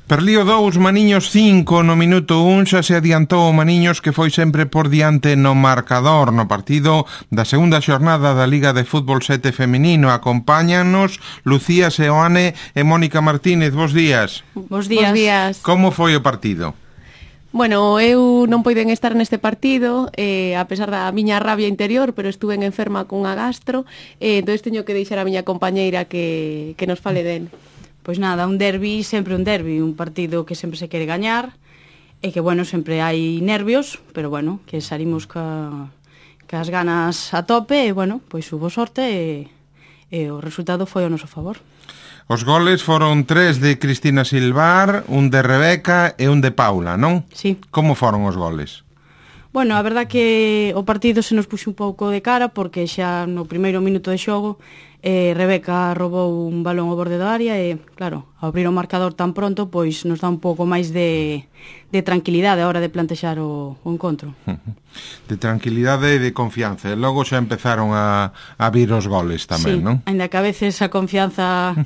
Perlío 2, Maniños 5, no minuto 1 xa se adiantou o Maniños que foi sempre por diante no marcador no partido da segunda xornada da Liga de Fútbol 7 feminino. Acompáñanos Lucía Seoane e Mónica Martínez. Bos días. Bos días. Como foi o partido? Bueno, eu non poiden estar neste partido, a pesar da miña rabia interior, pero estuve enferma cunha gastro, entón teño que deixar a miña compañeira que nos fale del. Pois nada, un derbi, sempre un derbi, un partido que sempre se quere gañar e que, bueno, sempre hai nervios, pero, bueno, que salimos cas ganas a tope e, bueno, pois hubo sorte e o resultado foi ao noso favor. Os goles foron 3 de Cristina Silvar, un de Rebeca e un de Paula, non? Sí. Como foron os goles? Bueno, a verdad que o partido se nos puxo un pouco de cara porque xa no primeiro minuto de xogo Rebeca robou un balón ao borde da área e, claro, ao abrir o marcador tan pronto, pois nos dá un pouco máis de tranquilidade a hora de plantexar o encontro. De tranquilidade e de confianza. E logo xa empezaron a vir os goles tamén, sí, non? Ainda que a veces a confianza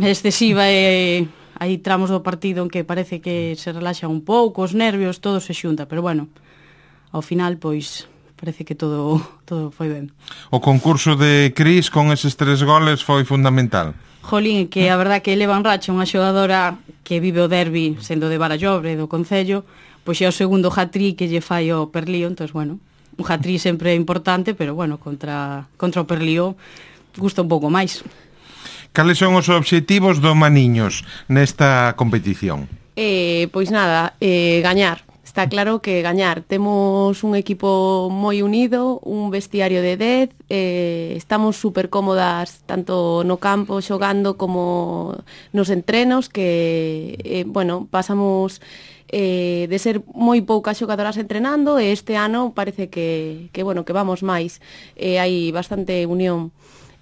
excesiva e hai tramos do partido en que parece que se relaxa un pouco, os nervios, todo se xunta, pero bueno, ao final, pois, parece que todo foi ben. O concurso de Cris con eses 3 goles foi fundamental. Jolín, que a verdad que leva en racha unha xogadora que vive o derbi sendo de Barallobre, do Concello, pois é o segundo hat-trick que lle fai o Perlío, entón, bueno, un hat-trick sempre é importante, pero, bueno, contra o Perlío gusta un pouco máis. Cales son os obxectivos do Maniños nesta competición? Pois nada, gañar. Está claro que gañar. Temos un equipo moi unido, un vestiario de 10, estamos super cómodas tanto no campo xogando como nos entrenos que, bueno, pasamos de ser moi poucas xogadoras entrenando e este ano parece que bueno, que vamos máis. Hai bastante unión.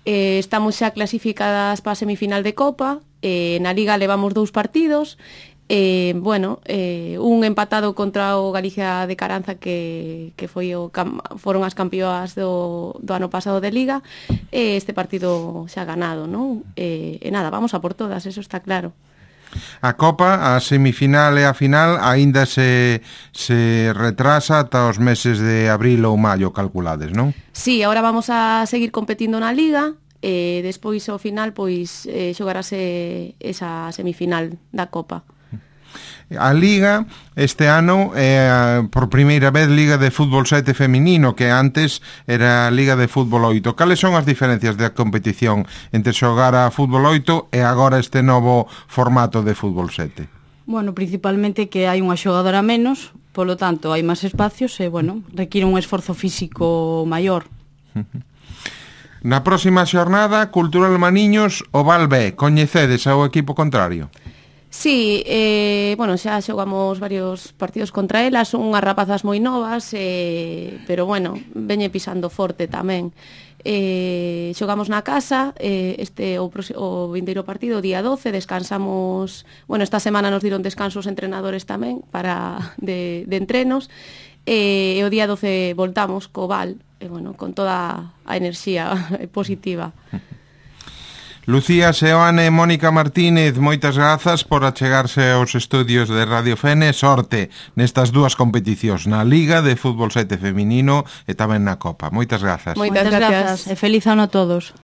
Estamos xa clasificadas para a semifinal de Copa, na Liga levamos 2 partidos. Bueno, un empatado contra o Galicia de Caranza que foron as campeoas do ano pasado de Liga, este partido xa ganado, non? E nada, vamos a por todas, eso está claro. A Copa, a semifinal e a final aínda se retrasa ata os meses de abril ou maio calculades, non? Sí, agora vamos a seguir competindo na Liga e despois ao final pois xogarase esa semifinal da Copa. A Liga este ano é por primeira vez Liga de Fútbol 7 feminino, que antes era Liga de Fútbol 8. Cales son as diferencias da competición entre xogar a Fútbol 8 e agora este novo formato de Fútbol 7? Bueno, principalmente que hai unha xogadora menos, polo tanto hai máis espacios e, bueno, require un esforzo físico maior. Na próxima xornada, Cultural Maniños, Oval B, coñecedes ao equipo contrario? Sí, bueno, xa xogamos varios partidos contra elas, son unhas rapazas moi novas, pero bueno, veñe pisando forte tamén. Xogamos na casa, o vindeiro partido, día 12, descansamos, bueno, esta semana nos diron descansos entrenadores tamén de entrenos, e o día 12 voltamos co Val, bueno, con toda a enerxía positiva. Lucía Seoane e Mónica Martínez, moitas grazas por achegarse aos estudios de Radio Fene. Sorte nestas dúas competicións, na Liga de Fútbol 7 feminino e tamén na Copa. Moitas grazas. Moitas grazas e feliz ano a todos.